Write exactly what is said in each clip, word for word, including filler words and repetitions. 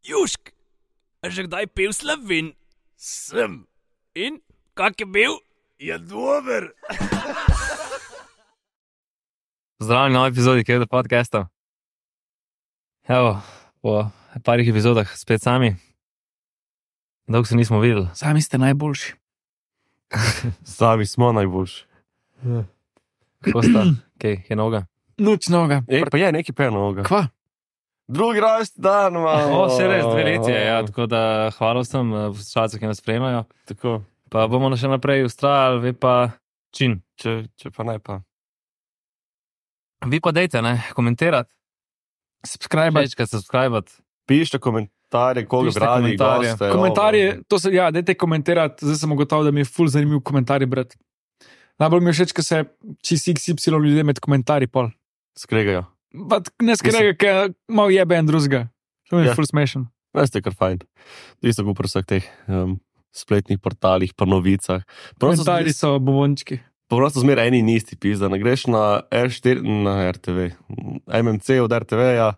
Južk, a že kdaj pil Slovin? Sem. In, kak je bil? Je dober. Zdravljeni na novi epizodi Kevda podcasta. Evo, po parih epizodah spet sami. Dolgo se nismo videli. Sami ste najboljši. Sami smo najboljši. Kako sta? Kaj, je noga? Noč noga. Ej, pa je neki per noga. Kva? Drugi rojst dan, malo. O, se res, dve leti je, ja, tako da hvala vsem poslušalcem, ki nas spremljajo. Tako, Pa bomo še naprej ustrajali, vi pa čin. če, če pa ne pa. Vi pa dejte, ne, komentirati, Subscribe. večkrat subscribati. Pišite komentarje, koga Pišite brali, komentarje. goste. Komentarje, to se, ja, dajte komentirati, zdaj sem ugotovil, da mi je ful zanimiv komentarji brati. Najbolj mi je všeč, ko se čez X Y ljudje med komentarji pol. Skregajo. Pa ne skrega, ker malo jebe en drugega. To mi je Ja. ful smešen. Veste, kar fajn. Isto kot pri vseh teh um, spletnih portalih, pa novicah. Prosto Komentarji so bobončki. Prosto zmeraj eni in isti pizda. Ne greš na R štiri, na R T V, M M C od R T V-ja,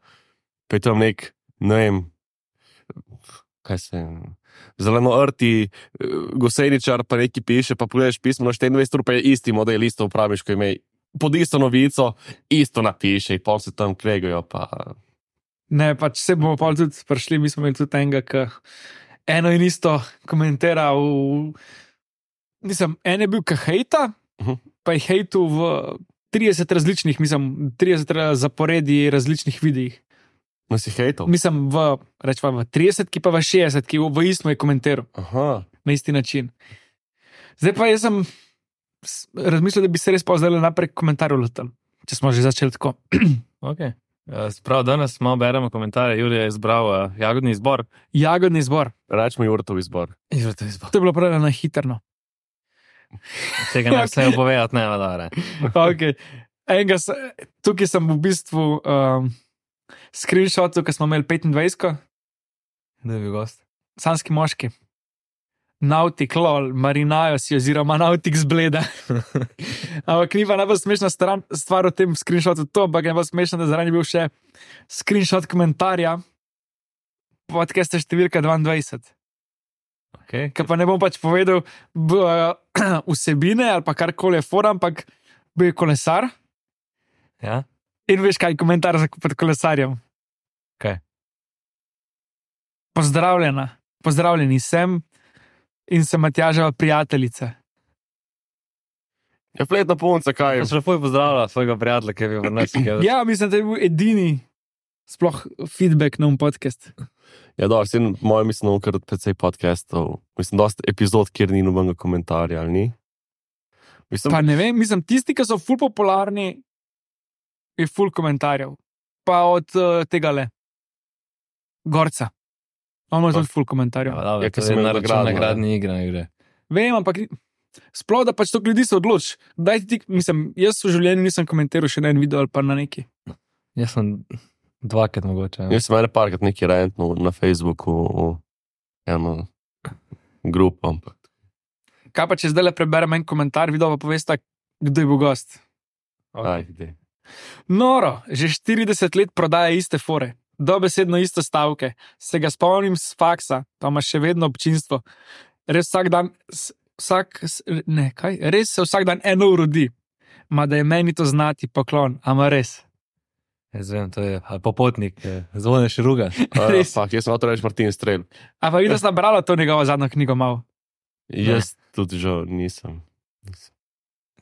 pa je tam nek, ne vem, kaj se, zeleno-rti goseničar pa neki piše, pa pogledaš pismo na štiriindvajset ur, pa je isti model, isto upraviš, ko ime pod isto novico, isto napiše in pol se tam kregajo, pa Ne, pač se bomo pol tudi prišli, mi smo imeli tudi enega, ki eno in isto komentira v... Mislim, en je bil ka hejta, Mhm. pa je hejtu v trideset različnih, mislim, trideset zaporedi različnih videih. no si hejtov. Mislim, v, rečva, v trideset, ki pa v šestdeset, ki v isto je komentiral Aha, na isti način. Zdaj pa jaz sem s- razmislil, da bi se res pa zdaj naprej komentarjev letel, če smo že začeli tako. Ok. Sprav danes malo beremo komentarje. Julija je izbral uh, jagodni izbor. Jagodni izbor. rečemo Jurtov izbor. Jurtov izbor. To je bilo prav na hitrno. Tega ne vse upovedati, ne, da. Okay. Enega, se- tukaj sem v bistvu um, screenshotu, ki smo imeli petindvajset, Da je bil gost. sanski moški. Nautik, lol, marinajo si oziroma nautik zbleda. Ampak ni pa najbolj smešna stran, stvar v tem screenshotu to, ampak je najbolj smešna, da zraven je bil še screenshot komentarja podcasta številka dvaindvajset. Okay. Ker pa ne bom pač povedal b, vsebine ali pa karkoli je fora, ampak bil je kolesar. Ja? In veš, kaj je komentar za pod kolesarjem? Kaj? Pozdravljena, pozdravljeni sem in sem Matjaževa prijateljica. Je fletna punca, kaj? Jaz lepo pozdravljam svojega prijatelja, ki je bil v nas. Ja, mislim, da je bil edini sploh feedback na um podcast. Ja, dobro, sem moj, mislim, kar precej podcastov. Mislim, dosti epizod, kjer ni nobenega komentarja, ali ni? Mislim, Pa ne vem, mislim, tisti, ki so ful popularni, je ful komentarjev. Pa od uh, tega le, Gorca. On ima tudi ful komentarjev. Ja, Ja, to ker je sem imel na račun nagradno, nagradni igre, ne gre. Vem, ampak ni- sploh, da pač to ljudi se odloči. Daj ti, mislim, jaz v življenju nisem komentiral še na en video ali pa na neki. Jaz sem dvakrat mogoče. Ja. jaz sem ene parkrat neki rentno na Facebooku, v eno grupo, ampak. Kaj pa, če zdaj le preberem en komentar, video pa povesta, kdo je bil gost. Aj, idej. Noro, že štirideset let prodaja iste fore, dobesedno iste stavke. Se ga spomnim s faksa, pa ima še vedno občinstvo. Res vsak dan, s- vsak, s- ne, kaj, res se vsak dan eno urodi. Ma da je meni to znati poklon, ama res. Jaz vem, to je ali popotnik, zvone širuga. A, Res. Fak, jaz sem hotel reči Martin Strel. A pa vidiš, da sem brala to njegovo zadnjo knjigo malo. Jaz tudi žal nisem. nisem.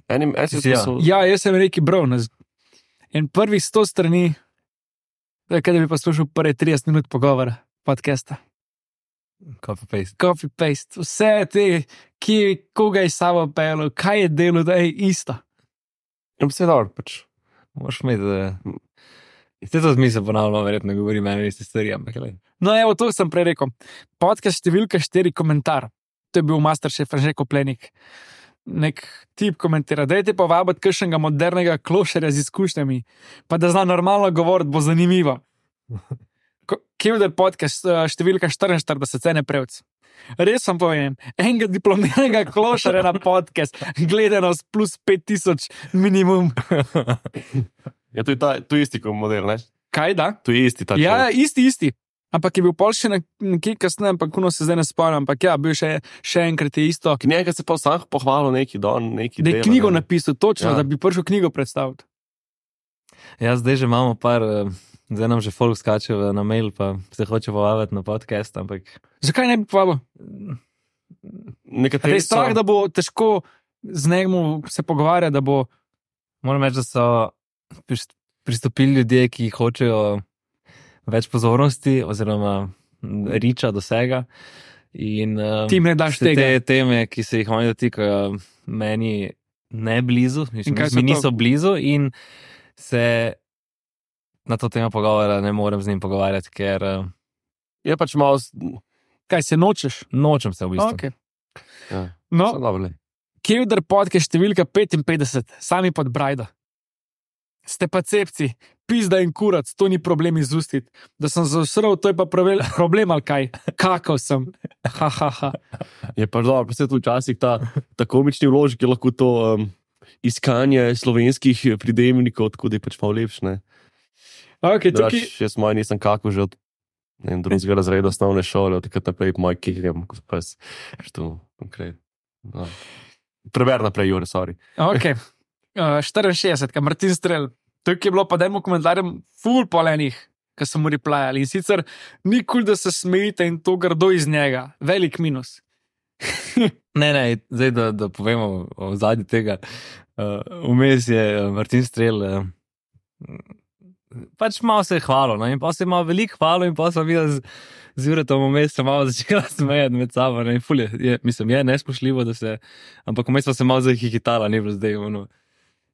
Enim, en si Si ja. spisal- Ja, jaz sem rekel Brown. In prvih sto strani, to je, kaj da bi poslušal prve trideset minut pogovora, podcasta. Copy paste. Copy paste, vse te, ki koga je sabo pelo, kaj je delo, da je isto. Ja, pa se je dobro, pač. Moraš imeti, da... Ste to zmisel ponavljamo, verjetno govori meni iste stvari, ampak gled. No, evo, to sem prej rekel. Podcast številka štiri komentar. To je bil Masterchef Anže Koplenik. Nek tip komentira, dajte pa vabiti kakšnega modernega klošerja z izkušnjami, pa da zna normalno govoriti, bo zanimivo. Kevder podcast eh, številka štiriinštirideset, cene prevc. Res vam povem, enega diplomiranega klošarja na podcast, gledanost plus pet tisoč minimum. Ja, to je ta, to je isti kot model, ne? Kaj da? To je isti ta Ja, človek. isti, isti. Ampak je bil pol še nekje kasneje, ampak kuno se zdaj ne spomnim, ampak ja, bil še, še enkrat je isto. Njega se pa sam pohvalil neki don, neki Da je dela, knjigo ne. napisal, točno, Ja. da bi prišel knjigo predstaviti. Ja, zdaj že imamo par, eh, zdaj nam že folk skače v- na mail, pa se hoče povabiti na podcast, ampak Zakaj ne bi povabil? Te Nekateri je strah, so- da bo težko z njemu se pogovarjati, da bo. moram reči, da so prist- pristopili ljudje, ki hočejo več pozornosti oziroma m, riča dosega. In uh, Ti jim ne daš se tega. te teme, ki se jih oni dotikajo, meni ne blizu, mislim, kaj so mi to? niso blizu in se na to temo pogovora ne morem z njim pogovarjati, ker uh, Je pač malo... s- Kaj se nočeš? nočem se v bistvu. Okay. Ja, No, so dobri. Kevdar podcast številka petinpetdeset, sami pod Brajdo. Ste pa cepci, pizda in kurac, to ni problem izustiti. Da sem zasral, to je pa pravel, problem ali kaj. Kakal sem. Ha, ha, ha. Je pa dobro, pa se tu včasih ta, ta komični vložek je lahko to um, iskanje slovenskih pridevnikov, tako da je pač malo lepše, ne. Okay, tukaj, Drugač, jaz moj nisem kako že od ne vem, drugega razreda osnovne šole, od takrat naprej moj kirjem, ko sem pes, što konkretno. No. Preber naprej, Jure, sorry. okay. uh, štiriinšestdeset, Martin Strel. Tukaj je bilo pa dajmo komentarjem ful polenih, ki so mu replajali. In sicer nikoli, da se smejite in to grdo iz njega. Velik minus. Ne, ne, zdaj da, da povemo o zadnji tega. Uh, Vmes je uh, Martin Strel, uh, pač malo se je hvalil, no? In pa se je malo veliko hvalil, in pa sem videl z, z Juretom vmes se malo začela smejati med sabo. Ne? In ful je, je, mislim, je nespošljivo, da se, ampak vmes pa se malo zahihitala, ni bilo zdaj. Ono.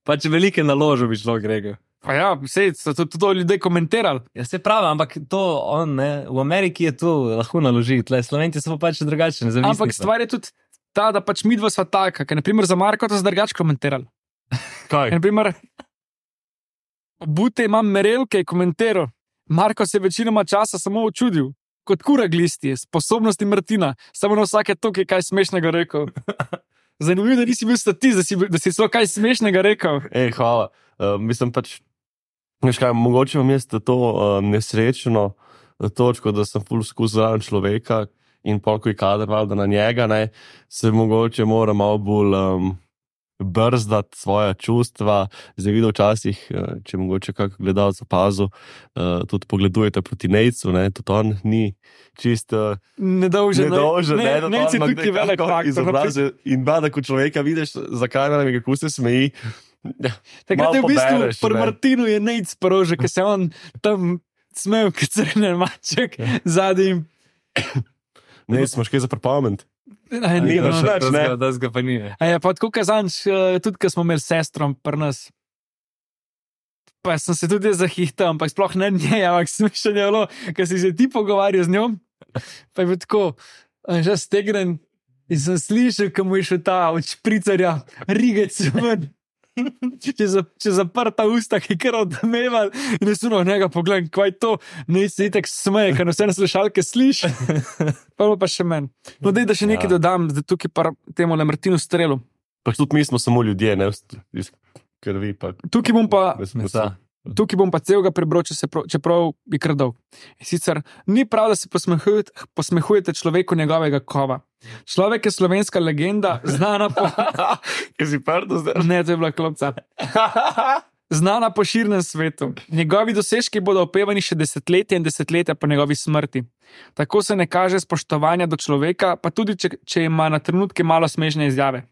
Pač velike naložbe bi človek rekel. Pa ja, sej, so to tudi ljudje komentirali. Ja, se pravi, ampak to on, ne, v Ameriki je to lahko naloži, tle Slovenci so pa pač drugačni. Ampak stvar je tudi ta, da pač midva sva taka, ker naprimer za Marko to zdrgač komentirali. Kaj? Naprimer, Bute imam merelke, je komentiral. Marko se je večinoma časa samo učudil, kot kura glisti, sposobnosti Martina, samo na vsake toke kaj smešnega rekel. Zanimivo, da nisi bil statist, da si, bil- da si celo kaj smešnega rekel. Ej, hvala. Uh, mislim pač, veš kaj, mogoče vam je to uh, nesrečno uh, točko, da sem ful skozi zraven človeka in pol, ko je kader valjda na njega, ne, se mogoče mora malo bolj um, brzdati svoja čustva. Zdaj videl včasih, uh, če mogoče kak gledalec opazil, uh, tudi pogledujete proti Nejcu, ne, tudi on ni čist uh, Nedolžen, nedolžen, ne, ne, ne, si totalno tukaj velik nekako faktor. izobrazil. In bada, ko človeka vidiš za kamerami, kako se smeji. Takrat je v malo bistvu pobereš, pri ne. Martinu je nejc prože, ker se on tam smel, kot crnen maček, zadnjim. Ne, smo še kaj za prepament. Aj, Ni ni, več, no. ne. Da ga pa ni. Ne. A je pa tako kazanč, eh, tudi ko smo imeli sestrom pri nas. Pa sem se tudi zahihtal, ampak sploh ne njej, ampak smešen je bilo, ker si se ti pogovarjal z njo. Pa je bil tako, eh, že stegnen in sem slišal, ko mu je šel ta od špricarja, rigec ven. Če, za, če zaprta usta, ki je kar odmeval, in jaz suno njega pogledam, kaj je to, ne si itek smeje, ker vse na slušalke sliši. Pa bilo pa še meni. No, dej, da še nekaj Ja. dodam, da tukaj pa temu le Martinu Strelu. Pač tudi mi smo samo ljudje, ne iz krvi. Pa, Tukaj bom pa, Mesa. tukaj bom pa celega prebral, če se prav, čeprav bi krdal. In sicer ni prav, da se posmehujete, posmehujete človeku njegovega kova. Človek je slovenska legenda, znana po. Kaj si prdo zdaj? Ne, to je bila klopca. Znana po širnem svetu. Njegovi dosežki bodo opevani še desetletja in desetletja po njegovi smrti. Tako se ne kaže spoštovanja do človeka, pa tudi če, če ima na trenutke malo smešne izjave.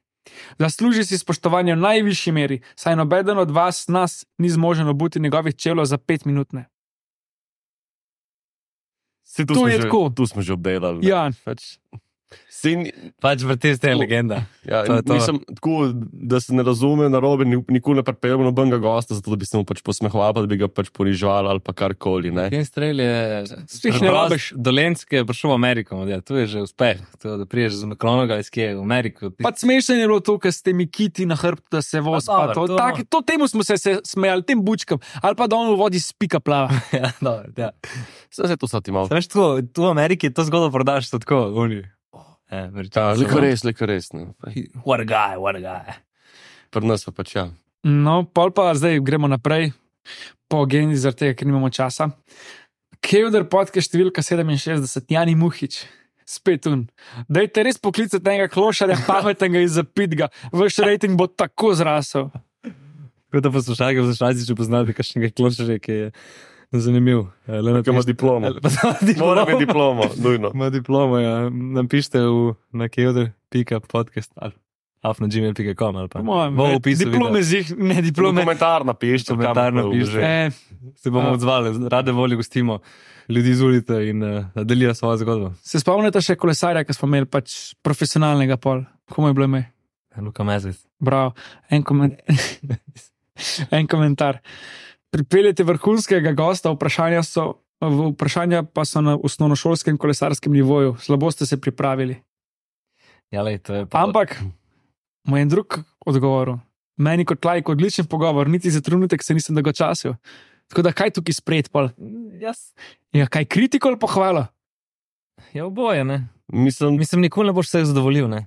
Zasluži si spoštovanje v najvišji meri, saj nobeden od vas, nas, ni zmožen obuti njegovih čevljev za pet minutne. Si, tu, To smo je že, tako. tu smo že obdelali. ne. Ja, Pač, sin, Pač vrti ste To- legenda. ja, To je to. mislim, tako, da se ne razume narobe, ni- nikoli ne pripeljemo nobenega gosta, zato da bi se mu pač posmehoval, pa da bi ga pač ponižval ali pa karkoli. ne. Ken Strel je Spih ne preprost rabiš. Dolenski je prišel v Ameriko, ja, tu je že uspeh. To, da priješ z Makronoga iz Kije v Ameriko. pa smešno je bilo to, ker ste mi kiti na hrbtu, da se voz. Pa Pa dobro, to, to- tak, to temu smo se, se smejali, tem bučkam, ali pa da on v vodi spika plava. ja, dobro, ja. Vse se to sati malo. Veš, tako, tu v Ameriki to zgodbo prodaš to tako, oni. Eh, Ja, liko res, liko res. Ne. What a guy, what a guy. Pri nas pa pač ja. No, pol pa zdaj gremo naprej po agendi, zaradi tega, ker nimamo časa. Kevder podcast številka sedeminšestdeset, Jani Muhič, spet un. Dajte res poklicati enega klošarja, pametnega in zapitga. Vaš rating bo tako zrasel. Kot da poslušalke v zaščati, če poznate kakšnega klošarja, ki je zanimiv. Ki ima diplomo. Mora imeti diplomo, nujno. Ima diplomo, ja. Napište v, na kevder pika podcast ali af na gmail pika com ali pa. Mojem, Bo v opisu diplome videa. zih, ne diplome. Komentar napišite. Komentar kam- napišite. E, Se bomo A. odzvali, rade volje gostimo ljudi z ulice in uh, delijo svojo zgodbo. se spomnite še kolesarja, ki smo imeli pač profesionalnega pol. Komu je bilo ime? Luka Mezec. Bravo. En, komen... en komentar. Pripeljete vrhunskega gosta, vprašanja, so, vprašanja pa so na osnovnošolskem kolesarskem nivoju. Slabo ste se pripravili. Ja, lej, to je pa... Ampak, moj en drug odgovor. Meni kot lajk odličen pogovor, niti za trenutek se nisem dolgočasil. Tako da kaj tukaj spred pol? Jaz. Ja, kaj kritiko ali pohvala? Ja, oboje, ne. Mislim, Mislim, nikoli ne boš vseh zadovoljil, ne.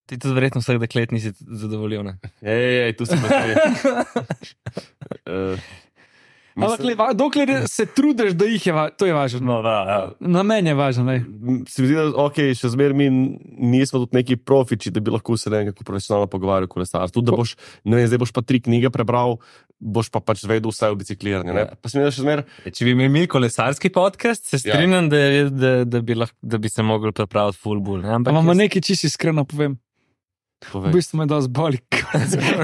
Ti tudi verjetno vseh deklet nisi zadovoljil, ne. ej, ej, tu smo se. uh, Ampak, le, va- dokler se trudiš, da jih je, va- to je važno. no, da, ja. Na meni je važno. Ne? Se mi zdi, da okay, še zmeraj mi nismo tudi neki profiči, da bi lahko se nekako profesionalno pogovarjali o kolesarstvu. Tudi, da boš, ne vem, zdaj boš pa tri knjige prebral, boš pa pač vedel vse o bicikliranju. ne. Ja. Pa se mi zdi, da še zmeraj. Če bi imeli kolesarski podcast, se Ja. strinjam, da, je- da, da, bi lahko, da bi se mogli pripraviti full bull. Ne? Ampak Ampak jaz- nekaj čisto iskreno povem. V Povej. bistvu me dosti boli.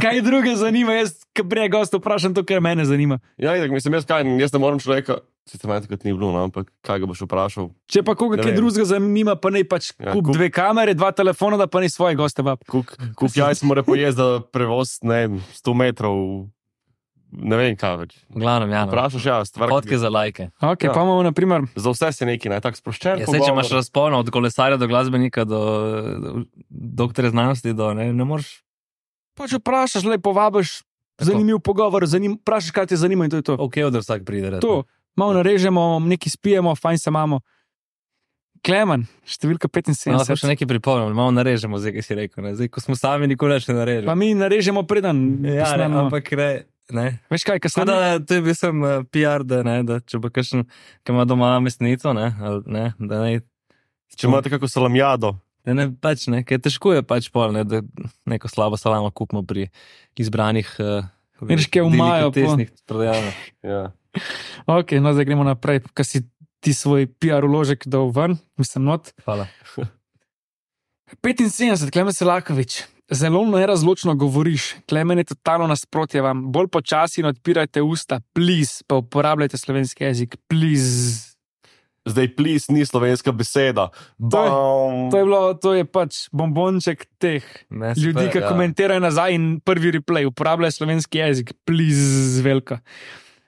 Kaj druge zanima, jaz, ki prej gosta vprašam to, kar mene zanima. Ja, itak, mislim, jaz, kaj, jaz ne morem človeka, sicer me takrat ni bilo, no, ampak kaj ga boš vprašal. Če pa koga Ne kaj vem. drugega zanima, pa ne pač Ja, kup kup- dve kamere, dva telefona, da pa ne svoje goste vab. Kuk, kuk jajc mora pojesti za prevoz, ne vem, sto metrov, ne vem kaj več. V glavnem, ja. No. Vprašaš, ja, stvar. Fotke za lajke. Ok, Ja. ja. Pa imamo naprimer, Za vse se neki, naj tako sproščen. Ja, sej, če imaš razpon od kolesarja do glasbenika, do, do doktorja znanosti, do, ne, ne moreš. pač vprašaš, le povabiš, Tako. zanimiv pogovor, zanim, vprašaš, kaj te zanima in to je to. Ok, da vsak pride. res, To, malo narežemo, nekaj spijemo, fajn se imamo. Klemen, številka No, lahko petinsedemdeset. še nekaj pripomnim, malo narežemo, zdaj, kaj si rekel. Ne? Zdaj, ko smo sami, nikoli več ne Pa narežemo. mi narežemo preden. Ja, ne, posnamemo. ampak ne. ne. Veš kaj, kaj Tako sem da to je bil sem uh, P R, da, ne, da če bo kakšen, ki ima doma mesnico, ne, ali, ne, da ne. Če imate kako salamjado. Da ne, pač ne, ker težko je pač pol, ne, da neko slabo salamo kupimo pri izbranih uh, Vidiš, kaj umajo po- delikatesnih prodajalnah. Ja. Ok, no zdaj gremo naprej, kaj si ti svoj P R uložek dal ven, mislim not. Hvala. petinsedemdeset, Klemen Selakovič. Zelo nerazločno govoriš, Klemen je totalno nasprotje vam. Bolj počasi in odpirajte usta, please, pa uporabljajte slovenski jezik, please. Zdaj, plis ni slovenska beseda. To je- Bam. To je, bilo, to je pač bombonček teh Ne, ljudi, super, ki ja. komentirajo nazaj in prvi replay, uporabljaj slovenski jezik, please, velika.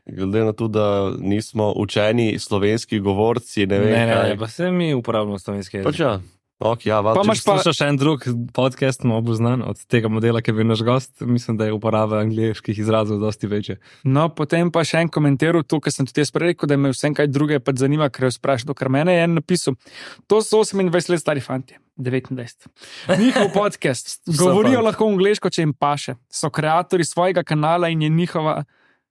Glede na to, da nismo učeni slovenski govorci, ne Ne, vem. ne, ne, kaj. pa se mi uporabljamo slovenski jezik. Pač ja. Ok, ja, val, Pa če- imaš pa- Slušaš še en drug podcast, malo znan od tega modela, ki je bil naš gost, mislim, da je uporaba angliških izrazov dosti večja. No, potem pa še en komentar, to, kar sem tudi jaz prej rekel, da me vsem kaj drugega pač zanima, ker je vprašal, kar mene je en napisal. To so osemindvajset let stari fanti, devetindvajset. Njihov podcast, govorijo fant. lahko angliško, če jim paše. So ustvarjalci svojega kanala in je njihova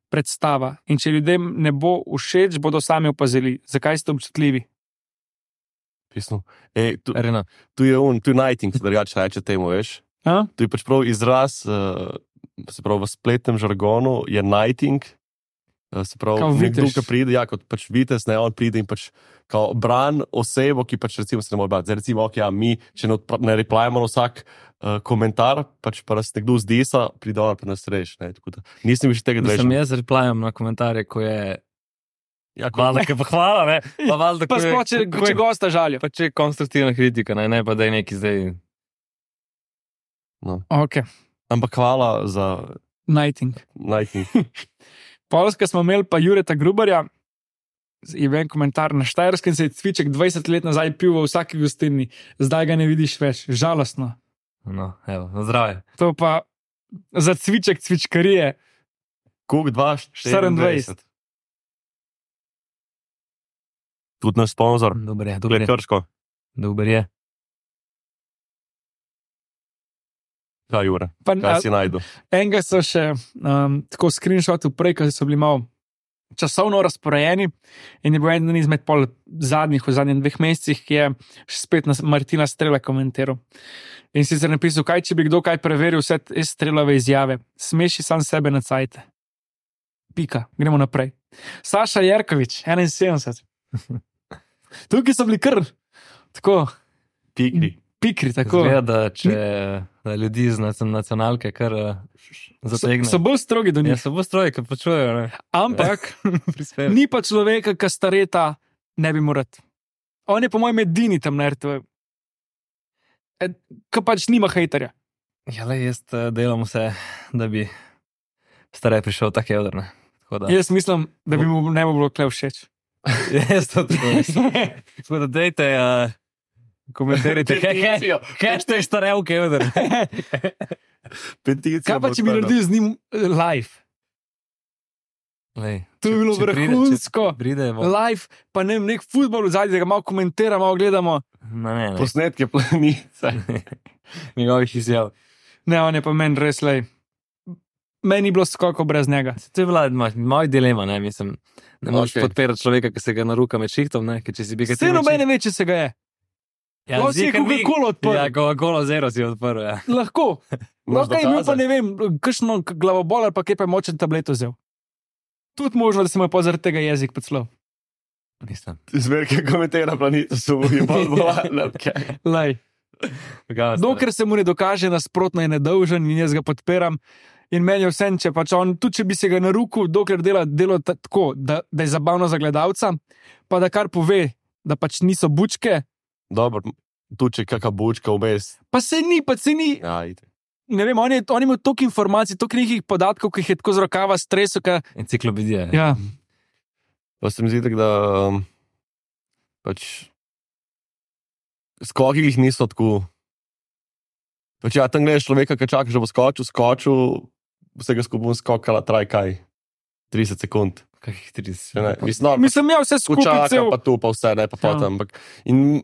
predstava. In če ljudem ne bo všeč, bodo sami opazili, zakaj ste občutljivi. Pisno. Ej, tu, Rena, tu je un, tu je nighting, drugače reče temu, veš. A? Tu je pač prav izraz, uh, se pravi v spletnem žargonu je nighting. Uh, se pravi, Kao nekdo, vitez. ki pride, ja, kot pač vitez, ne, on pride in pač kao bran osebo, ki pač recimo se ne more bati. Zdaj recimo, ok, ja, mi, če ne, odpra- ne replajamo na vsak uh, komentar, pač pa nas nekdo zdisa, pride on pa nas reš, ne, tako da nisem više tega mislim, deležen. jaz replajam na komentarje, ko je Ja, ko- valjda, ki pa hvala, ne, pa valjda, Pa ko je- sploh, če, ko če je- gosta žalijo. pa če je konstruktivna kritika, ne, ne pa da je neki zdaj. Ok, Ampak hvala za nighting. nighting. Polska smo imeli pa Jureta Grubarja, je bil en komentar na Štajerskem, se je cviček dvajset let nazaj pil v vsaki gostilni, zdaj ga ne vidiš več, žalostno. No, evo, na zdravje. To pa za cviček cvičkarije, Kuk dva, štiriindvajset. Tudi naš sponzor, Dober je, dober Gled je. Krško. Dober je. Kaj, Jure? pa Kaj si najdu? enega so še um, tako screenshotov prej, ko so bili malo časovno razporejeni in je bil eden izmed pol zadnjih v zadnjih dveh mesecih, ki je spet na Martina Strela komentiral. In sicer napisal, kaj če bi kdo kaj preveril vse te Strelove izjave. Smeši sam sebe na cajte. Pika, gremo naprej. Saša Jerkovič, enainsedemdeset. Tukaj so bili kar tako. Pikri. Pikri, tako. Zgleda, da če da ljudi iz nacionalke kar zategne. So, so bolj strogi do njih. Ja, so bolj strogi, ker počujejo. Ne? Ampak ni pa človeka, ki stareta ne bi morat. On je po mojem edini tam na R T V. E, ki pač nima hejterja. Ja, le, jaz delam vse, da bi starej prišel tak jedrne. Da... Jaz mislim, da bi mu ne bi bilo kle všeč. Jaz to tudi. Tako da dejte... Uh... Komentirajte, hashtag starevke, vedar. Kaj pa, če bi naredil z njim live? Lej, to bi bilo vrhunsko. Pride, live, pa ne vem, nek futbol v zadnji, da ga malo komentiramo, malo gledamo. No, ne, ne. Posnetke planice. Njegovih izjav. Ne, on je pa meni res, lej. Meni ni bilo skoko brez njega. To je bila moj dilema, ne, mislim. Ne moreš Okay. podpirati človeka, ki se ga naruka med šihtom, ne, ker če si bi ga... Vse nobene ve, če se ga je. Ja, lahko si je Coca-Cola odprl. Ja, Coca-Cola zero si odprl, ja. Lahko. Lahko je imel pa ne vem, kakšno glavobol ali pa kaj pa je močen tablet vzel. Tudi možno, da se mu je pa zaradi tega jezik podslov. Nisem. Zmerke komentira planeta so v bolj bolj. Lej. Dokler se mu ne dokaže nasprotno je nedolžen in jaz ga podpiram. In meni je vse, če pač on, tudi če bi se ga narukil, dokler dela delo tako, da, da je zabavno za gledalca, pa da kar pove, da pač niso bučke. Dobro, tu če kakšna bučka vmes. Pa se ni, pa se ni. Ja, ide. Ne vem, on je, on je imel toliko informacij, toliko nekih podatkov, ki jih je tako z rokava stresu. Ka... Enciklopedija. Ja. Pa se mi zdi tako, da um, pač skoki jih niso tako. Pač ja, tam gledaš človeka, ki čaka, že bo skočil, skočil, vsega skupaj skokala, traj kaj, trideset sekund. Kakih trideset Ne, sekund. mislim, no, Mislim, ja, vse skupaj Počaka cel. pa tu, pa vse, ne, pa Ja. potem. Ampak, in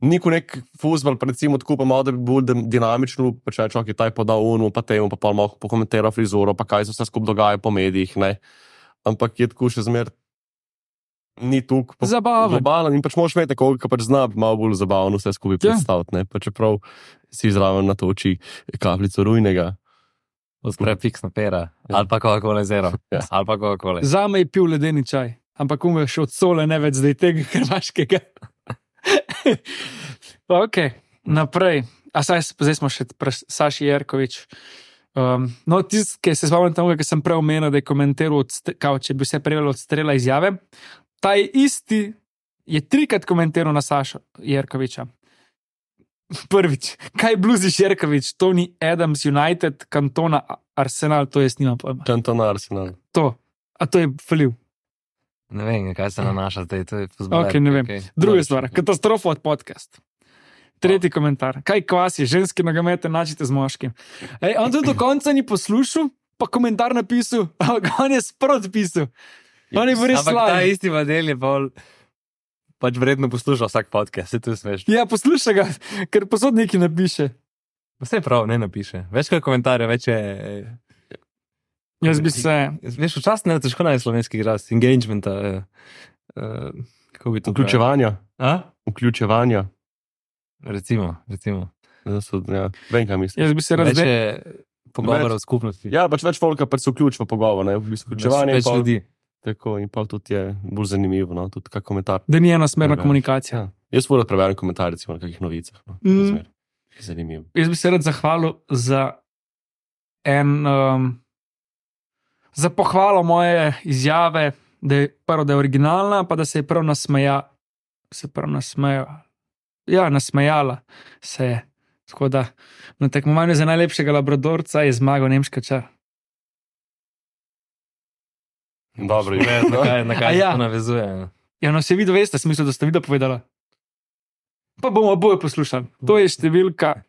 niko nek fuzbal, recimo, tako pa malo, da bi bolj dim- dinamično, pa če človek je taj podal unu, pa temu, pa pa malo pokomentira frizuro, pa kaj se vse skupaj dogaja po medijih, ne. Ampak je tako še zmer, ni tukaj Zabaven. globalen in pač moraš imeti koga, ki pač zna malo bolj zabavno vse skupaj Ja. predstaviti, ne. Pa čeprav si zraven natoči kapljico rujnega. Odpre fiksna pera. Ja. Ali pa Coca-Cola zero. Ja. Ali pa Coca-Cola. Zame je pil ledeni čaj, ampak umeš še od sole, ne več zdaj tega hrvaškega. Ok, naprej. A saj, zdaj smo še pri Saši Jerkovič. Um, no, tisti, ki se spomnim tega, ki sem prej omenil, da je komentiral, odste, kao, če bi se prijel od Strela izjave, ta je isti, je trikrat komentiral na Sašo Jerkoviča. Prvič, kaj bluziš Jerkovič, Tony Adams, United, Cantona, Arsenal, to jaz nimam pojma. Cantona Arsenal. To, a to je falil. Ne vem, kaj se nanaša zdaj, to je fuzbaler. Ok, ne vem. Okay. Druga stvar, katastrofa od podcast. Tretji komentar. Kaj kvasi, ženski nogomet enačite z moškim. Ej, on tudi do konca ni poslušal, pa komentar napisal, ampak on je sprot pisal. On je res Ampak ta slab. isti model je bolj pač vredno poslušal vsak podcast, se to je smešno. Ja, posluša ga, ker posod nekaj napiše. Vse prav, ne napiše. Več kot komentarje, več je... Jaz bi se... Veš, včasih ne težko najti slovenski glas, engagementa. Uh, uh, kako bi to Vključevanja. A? Vključevanja. Recimo, recimo. Ja, so, ja, vem, kaj mislim. Jaz bi se Več razdelil. je pogovorov v skupnosti. Ja, pač več folka pač se vključi v pogovor, ne, v bistvu vključevanje. Več in pol- ljudi. Tako, in pa tudi je bolj zanimivo, no, tudi kak komentar. Da ni enosmerna Drugače. komunikacija. Ja. Jaz moram preveriti komentarje, recimo, na kakih novicah. No, Mm. razmer. Zanimivo. Jaz bi se rad zahvalil za en, um, za pohvalo moje izjave, da je prvo, da je originalna, pa da se je prav nasmeja, se prav nasmeja. Ja, nasmejala se je. Tako da na tekmovanju za najlepšega labradorca je zmagal nemška čar. Dobro, Ne, je. na kaj, na A kaj ja. ja. to navezuje. Ja, no se vidi, veste, smisel, da ste video povedala. Pa bomo oboje poslušali. To je številka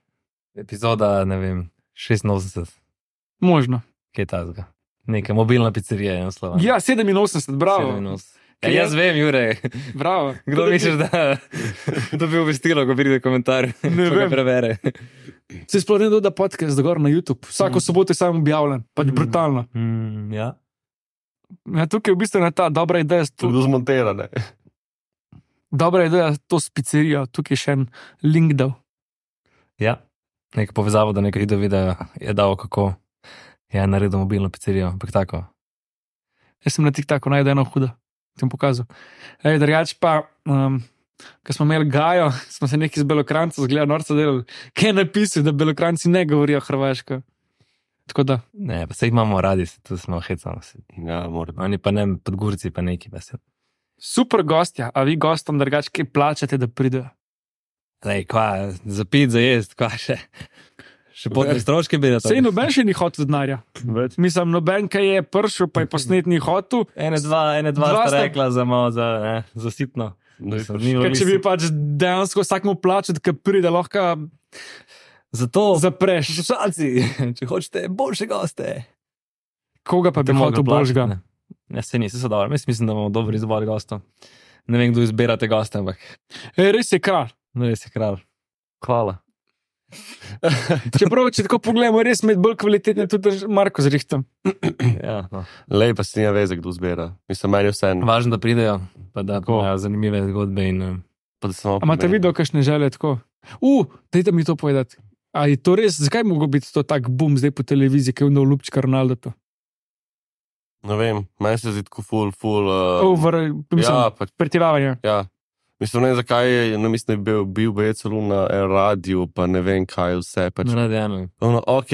Epizoda, ne vem, šestinosemdeset, možno. kaj je tazga. Neka mobilna pizzerija je naslova. Ja, sedeminosemdeset, bravo. sedeminosemdeset. Ja, jaz vem, Jure, Bravo. kdo misliš, da dobi obvestilo, ko pride komentar, Ne ko ga vem. prevere. Se sploh ne doda podcast gor na YouTube. Vsako Mm. soboto je samo objavljen, pač brutalno. Mm, ja. Ja, tukaj je v bistvu ta dobra ideja. To je zmontirane. Dobra ideja, to s pizzerijo. Tukaj je še en link dal. Ja, nekaj povezavo, da nekaj video je dal, kako je naredil mobilno pizzerijo, ampak tako. Jaz sem na TikToku najdel eno hudo, ti bom pokazal. Ej, drugač pa, um, ko smo imeli Gajo, smo se nekaj z Belokranca zgleda norca delali, kaj je napisal, da Belokranci ne govorijo hrvaško. Tako da. Ne, pa se jih imamo radi, se tu smo hecamo. Ja, mora. Oni pa ne, Podgorci pa neki. Pa se... Super gostja, a vi gostom drugač kaj plačate, da pridejo? Lej, kva, za pit, za jest, kva še. Še potne stroške bi da to. Sej noben še ni hotel denarja. Mislim, noben, kaj je pršel, pa je posnet ni hotel. Ene dva, ene dva, dva sta rekla za malo, za, ne, za sitno. Kaj, če bi pač dejansko vsakmu plačati, ki pride, lahko zato zapreš. Slušalci, če hočete boljše goste. Koga pa bi hotel boljšega? Ne, ne se nisi so dobro. Mislim, da imamo dober izbor gostov. Ne vem, kdo izbirate goste, ampak. E, res je kralj. No, res je kralj. Hvala. Čeprav, če tako pogledamo, res med bolj kvalitetne tudi Marko zrihtam. Ja, no. Lej, pa si nima veze, kdo zbira. Mislim, meni vse en. Važno, da pridejo, pa da imajo zanimive zgodbe. In, pa da samo a imate videl, kakšne želje tako? U, dajte mi to povedati. A je to res, zakaj mogo biti to tak boom zdaj po televiziji, ki je vno Lupčka Ronaldo to? Ne vem, meni se zdi tako ful, ful... Uh, Over, mislim, ja, pač, pretiravanje. Ja. Mislim, ne vem, zakaj je, no, mislim, da je bil, bil bi celo na radiju, pa ne vem, kaj vse. Pač. Na radiju. Ono, ok.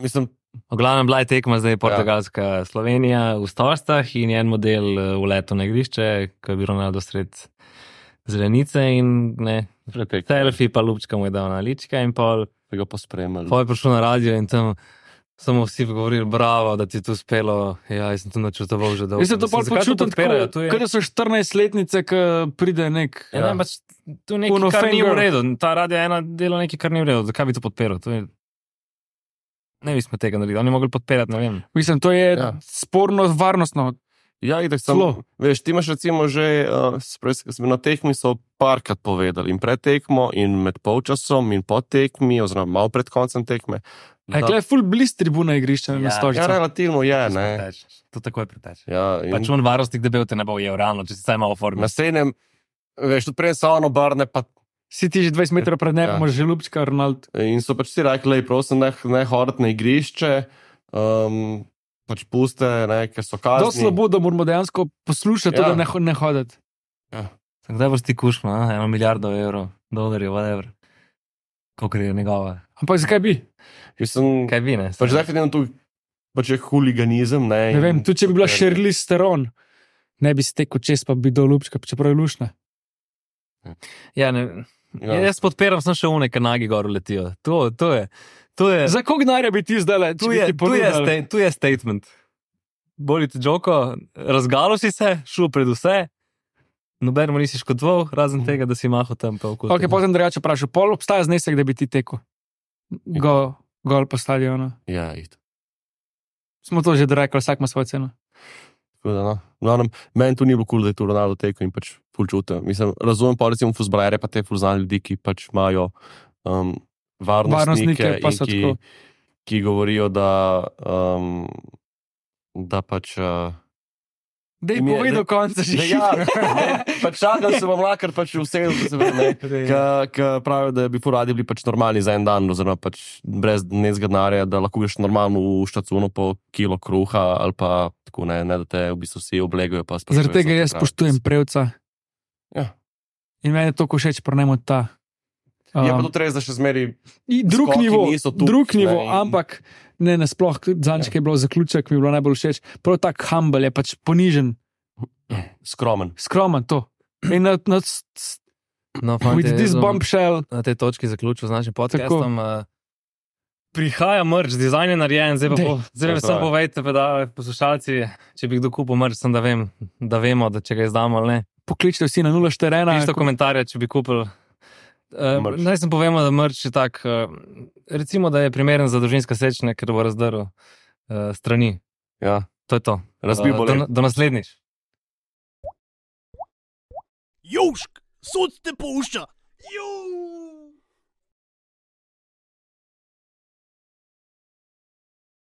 Mislim... V glavnem bila je tekma zdaj Portugalska ja. Slovenija v Stostah in en model v letu na igrišče, ko je bil Ronaldo sred zelenice in ne, selfie pa Lupčka mu je dal na lička in pol... Pa ga pospremali. Pol je prišel na radio in tam... Samo vsi govorili, bravo, da ti je to uspelo. Ja, jaz sem to načrtoval že dolgo. Jaz sem to pol počutil tako, je... kada so štirinajstletnice, ko pride nek... Ja, ja. Ne, pač, to je nekaj, kar ni v redu. Ta radio je ena dela nekaj, kar ni v redu. Zakaj bi to podpiral? To je... Ne bi smo tega naredili. Oni mogli podpirati, ne vem. Mislim, to je ja. sporno, varnostno. Ja, itak sem... Veš, ti imaš recimo že... Uh, smo na tekmi so parkrat povedali. In pred tekmo, in med polčasom, in po tekmi, oziroma malo pred koncem tekme. A je ful bliz tribuna igrišča ja, na Stožico? Ja, relativno je, ne. To tako je preteč. Ja, in... Pač on varostnik debel te ne bo ujel realno, če si saj malo formi. Na sejnem, veš, tudi prej so ono barne, pa... Si ti že dvajset metrov pred nebom, ja. Že Lupčka Ronaldo. In so pač si rekli, prosim, ne, ne hoditi na igrišče, um, pač puste, ne, ker so kazni. To slabo, da moramo dejansko poslušati ja. To, da ne, ne hoditi. Ja. Kdaj boš ti kušma, eno milijardo evrov, dolarjev, whatever. Koliko je njegova. Ampak zakaj bi? Sem, kaj bi, ne? Pač definitivno tu pač je huliganizem, ne. Ne vem, tudi če bi bila Charlize Theron, ne bi stekel čez, pa bi do Lupčka, čeprav je lušna. Ja, ne, ja. Jaz podpiram samo še une, ker nagi gor letijo. To, to je, to je... Za koliko denarja bi ti zdaj le? Tu je, tu je, sta, tu je statement. Bolite Džoko, razgalo si se, šel pred vse, noben mu nisi škodoval, razen tega, da si mahal tam pa okoli. Ok, potem drugače vprašal, pol obstaja znesek, da bi ti tekel? Go, gol po stadionu. Ja, ito. Smo to že rekli, vsak ima svojo ceno. Tako da, no. No, meni tu ni bilo kul, da je tu Ronaldo tekel in pač ful čutil. Mislim, razumem pa recimo fuzbalere, pa te ful znani ljudi, ki pač imajo um, varnostnike, pa in ki, ki govorijo, da, um, da pač... Uh, Dej povej do konca že. Ja, pač čakal se bom lakar pač vse, ki pravijo, da bi poradi bili pač normalni za en dan, oziroma pač brez necega denarja, da lahko greš normalno v štacuno po kilo kruha, ali pa tako ne, ne da te v bistvu vsi oblegajo. Zaradi tega jaz spoštujem prevca. Ja. In meni je to košeč, prnemo ta. Um, je pa to res, da še zmeri drug nivo, tup, drug nivo, in... ampak ne nasploh, zanjček je bilo zaključek, mi je bilo najbolj všeč. Prav tak humble je pač ponižen. Skromen. Skromen, to. In na, na, no, fante, with this bombshell. Na tej točki zaključil z našim podcastom. Uh, prihaja mrč, dizajn je narejen, zdaj pa po, zdaj samo povejte, pa da poslušalci, če bi kdo kupil mrč, sem da vem, da vemo, da če ga izdamo ali ne. Pokličite vsi na nula štiri ena. Pišite komentarje, če bi kupil. Uh, naj sem povemo, da mrč je tak, uh, recimo, da je primeren za družinska sečnja, ker bo razdrl uh, strani. Ja. To je to. Razbil uh, bo do, do naslednjič. Južk, sod te pušča. Južk.